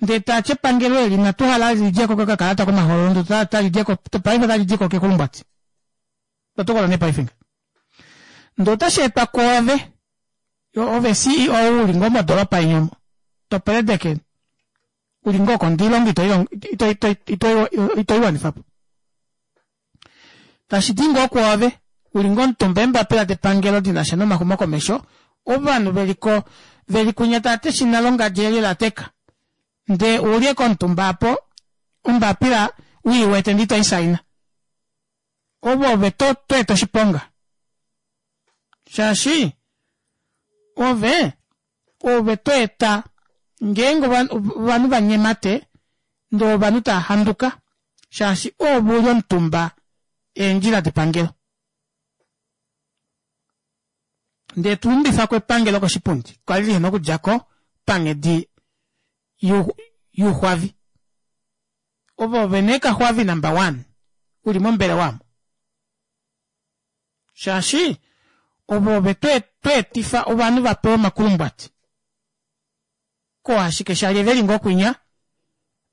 ndee taati epangelo eli inatu hala lidjeko kokakalata komahoololo ndee talidjeko paife otalidiko kekulumbwati. Totokola nee paife nga. Ndee otashi etwa kwoove ove C E O uli ngoo modoropa yenyu toperedeke uli ngoo kondiilonga itoiwanifapo. Tashidi ngoo kwoove uli ngoo omutumba eembapila depangelo dinasha nomaxumokomesho ovanhu veliko veli kunya taati eshina longadji eli lateka ndee uli komutumba apo ombapila uiwete ndee itoisaina ovo ove to eta oshiponga shaashi ove ove to eta ngeenge ovanhu vanyemate ndee ovanhu tava handuka shaashi ove uli omutumba eendjila depangelo ndee tuumbifako epangelo koshipundi kwali lihena okudjako panghedi yuxwavi ovo ove nee kaxwavi number one uli mombelewa omo shaashi ovo ove tweetifa ovanhu vapewa omakulumbwati ko ashike shali veli ngoo kwinya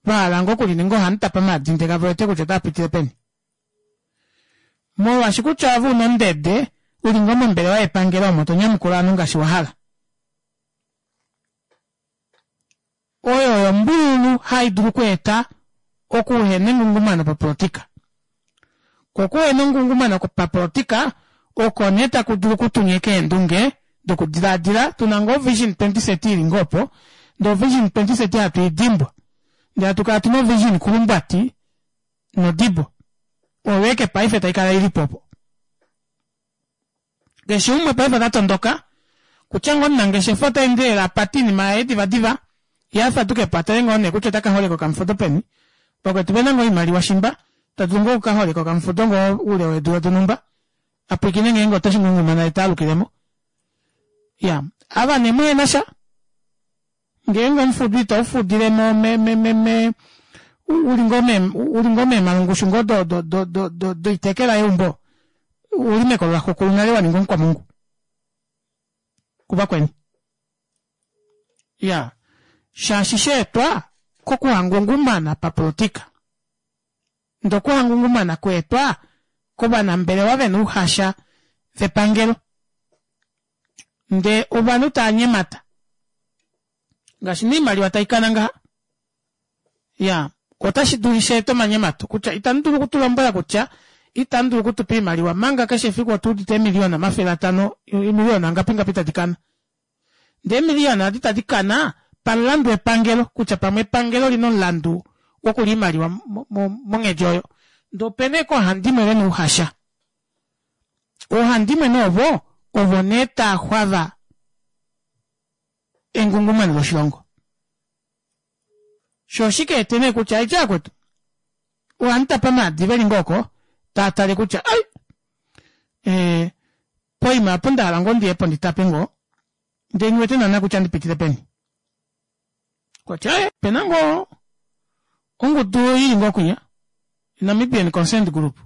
vahala ngoo okulininga ohamutapa maadi ndee kave wete kutya otava peni molwaashi kutya ove una ondede uli ngoo mombelewa yepangelo omo tonyamukula ovanhu ngaashi wahala oyo oyo ombululu haidulu okweeta okuhena engungumano papolitika ko okuhena engungumano papolitika oko nee taku dulu okutunyeka eendunge dokudilaadila tuna ngoo vision twenty thirty ili ngoo opo ndee vision twenty thirty hatu idimbwa ndee hatu kala tuna vision kulumbwati nodibo oyo eke paife taikala ilipo opo keshe umwe paife ota kutya ngoo omunangeshefa otaendelele apate oinima yaye divadiva ye afadukepo atale ngoo nee kutya otaka holeka okamufudo peni vakwetu vena ngoo oimaliwa shimba tadulu ngoo okukaholeka okamufudo ngoo oule weedula donhumba apwiikine ngeenge otashi ngungumana etaalukilemo ya ava nee muhenasha ngeenge omufudo itaufudile mo me me me me uli ngoo meemalungushu ngoo do do do do doitekela yeumbo uli mekolo laxukulu nale waninga omukwamungu kuvakweni ya shaashi sheetwa kokuhangungumana papolitika ndee okuhangungumana kweetwa kovanambelewa vena ouhasha vepangelo ndee ovanhu tava nyemata ngaashi noimaliwa taikana ngaha ya otashi dulu sheeta omanyemato kutya itamu dulu okutulombwela kutya itamu dulu okutupa oimaliwa manga keshe efiku otuudite eemiliyona omafele atano emiliyona ngapi ngapi tadi kana ndee emiliyona adi tadi kana pamulandu wepangelo kutya pamwe epangelo lina omulandu wokulya oimaliwa monghedi oyo ndee opena ashike oohandimwe vena ouhasha oohandimwe nee ovo ovo nee taaxwava engungumano loshilongo sho oshike ete nee kutya aitya yakwetu ohamutapa maadi veli ngoo oko taatale kutya ai ee poima apo ndahala ngoo ndiyepo nditape ngoo ndee nghiwete naana kutya ndipitile peni kutya pena ngoo ongudu ili ngoo kwinya Namibian Consent Group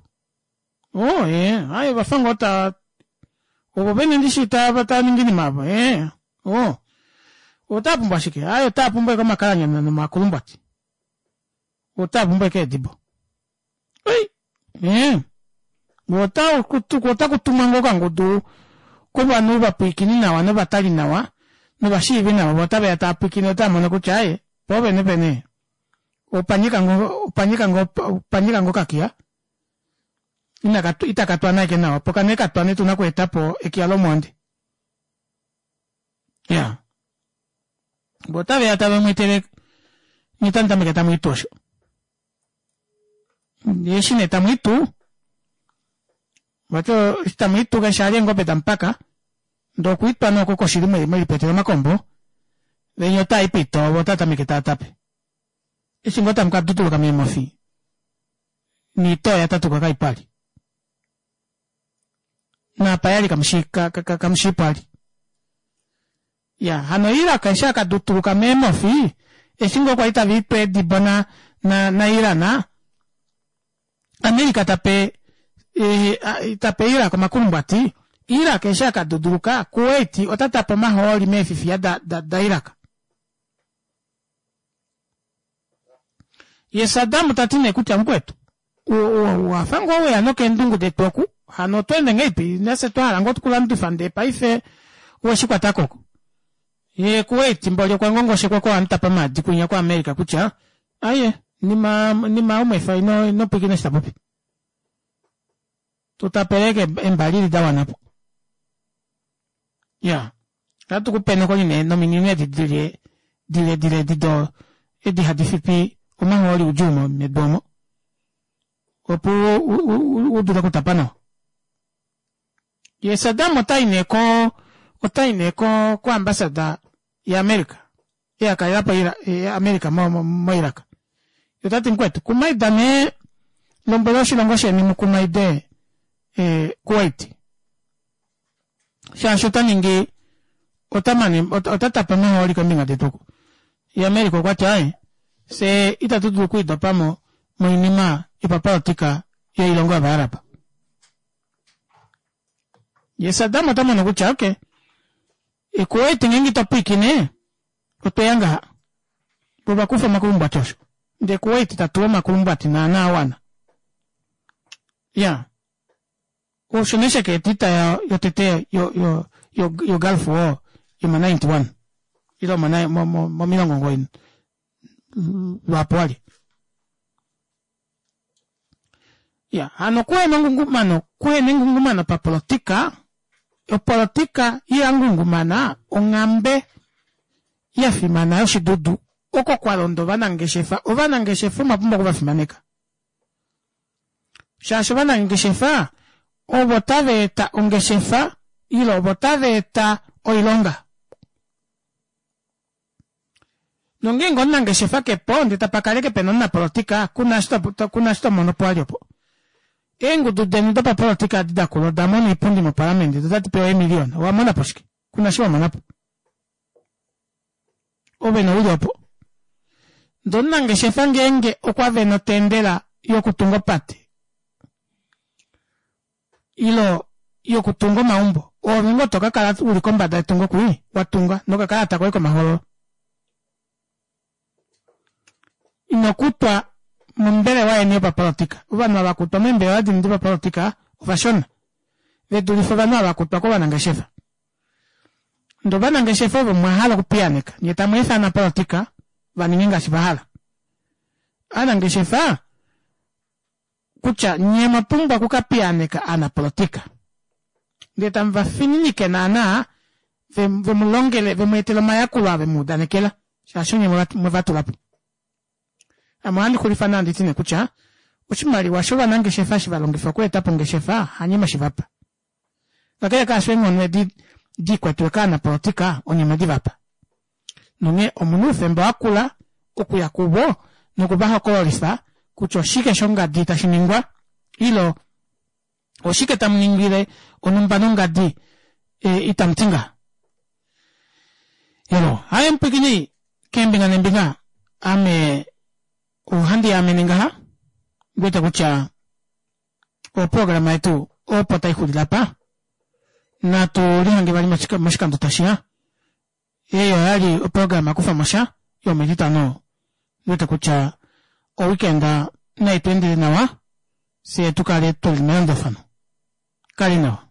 oh ee aye vafa ngoo ta ovo vene ndishi tava ningi oinima avo ee oh otava pumbwa shike aye otava pumbwa ashike omakalanyana nomakulumbwati otava pumbwa ashike eedibo ei ee otakutumwa ngoo okangudu kovanhu vapwiikini nawa novatali nawa novashiivi nawa vo otaveya taapwiikine otava mono kutya aye poovene vene opanyika ngoo opanyika ngoo opanyika ngoo okakiya itakatwana ashike nawa opo kane katwane tuna okweetapo ekiya lomwoonde ya vo otaveya tave mweetele nye tamu tameke tamwiitu osho eshi nee tamwiitu vati eshi tamwiitu keshe ali eengobe damupaka ndee okwiitwa nee oko koshili mwelipetele omakombo venya otaaipito ovo otatameke taatape eshi ngoo tamu kadutuluka meemofi niitoo yatatuka kaipali naapa yali kamushiipo ali ya hano Iraq eshi akadutuluka meemofi eshi ngoo kwali tava eedibo na na na Iran America tape e, tape Iraq omakulumbwati Iraq eshi akaduduluka Kuwait ota tapa omahooli meefifiya da, da, da Iraq. Ye Saddam tati nee kutya mukwetu owafa ngoo weya nokeendungu detu oku hano oto ende ngahelipi nafye twahala ngoo tukulandifa ndee paife oweshikwatako oko. Ye Kuwait mboli okwa ngongoshekwa kohamutapa maadi kwinya ko America kutya aye nima nima umwefa ino ino pwiikina eshi tapopi. Tutapeleke embalili da wanapo. Ya ohatu kupe nokuli nee nominino edi dile dile dile edi do edi hadi fipi omahooli udjuu medu omo opo u dule okutapa nawa. Ye Saddam otai nee ko otai nee ko ko ambasada ya America eyakalelapo America mo mo Iraq. Otati mukwetu kumaida nee lombwela oshilongo sheni mukumaide eh, Kuwait shaashi ota ningi ota mane ota tapa omahooli kombinga detu oku. Ye America okwati aye fye itatu dulu okwiidopamo moinima yopapolitika yoilongo yOvaarab. Ye Saddam ota mono kutya okay, Kuwait ngeenge ito pwiikine otweya ngaha vo vakufa omakulumbwati osho ndee Kuwait ta tuwa omakulumbwati naana awana. Ya osho nee shaka eta yotete yo yo yo yo Gulf War yoma ninety one ile mo mo momilongo omugoyi lwaapo wali. Ya hano kuhena ongungumano kuhena engungumano papolotika opolotika yangungumana onghambe ya fimana yoshidudu oko kwa londa ovanangeshefa ovanangeshefa omwa pumbwa okuvafimaneka shaashi ovanangeshefa ovo tava eta ongeshefa ile ovo tava eta oilonga. Nongeenge omunangeshefa kepo ndee tapa kaleke pena omunapolotika kuna eshi to mono po vali opo. Eengudu deni dopapolotika edi dakula oda mona oipundi mopalamende do otadi pewa eemiliyona owa mona po shike? Kuna eshi wa mona po. Ove nouli opo. Ndee omunangeshefa ngeenge okwa vena otendela yokutunga opate ile yokutunga omaumbo oove ngoo to ka kala uli kombada yetungo kwii wa tunga nokakalata koye komahoololo. Ino kutwa mombelewa yeni yopapolotika. Ovanhu ava kutwa meembelewa deni dopapolotika ovashona ve dulife ovanhu ava kutwa kovanangeshefa. Ndee ovanangeshefa ovo mwa hala okupiyaaneka nyee tamu efa ovanapolotika va ninge ngaashi va hala. Ovanangeshefa kutya nyee omwa pumbwa okukapiyaaneka ovanapolotika ndee tamu vafininike naana vemulongele vemweetele omayakulo aa vemuudanekela shaashi onye mwevatulapo. Ame ohandi xulifa nee handiti nee kutya oshimaliwa shovanangeshefa eshi valongifa okweetapo ongeshefa hanye mweshivapa. Kakele kaasho eenghono edi dikwetiwe kaanapolotika onye mwedivapa. Nonghee omuna oufemba wakula okuya kuvo nokuvahokololifa kutya oshike shongadi tashi ningwa ile oshike tamu ningile onhumba nongadi e, itamu ti ngaha. Elo, haye mupwikini keembinga neembinga ame ohandi yaamene ngaha ndiwete kutya oprograma yetu opo taixulile apa natu lihange vali moshikando tashiya. Ei oyali oprograma kufamosha yometitano ndiwete kutya oweekend nai tweendele nawa fyee tukale tuli melandulafano. Kali nawa.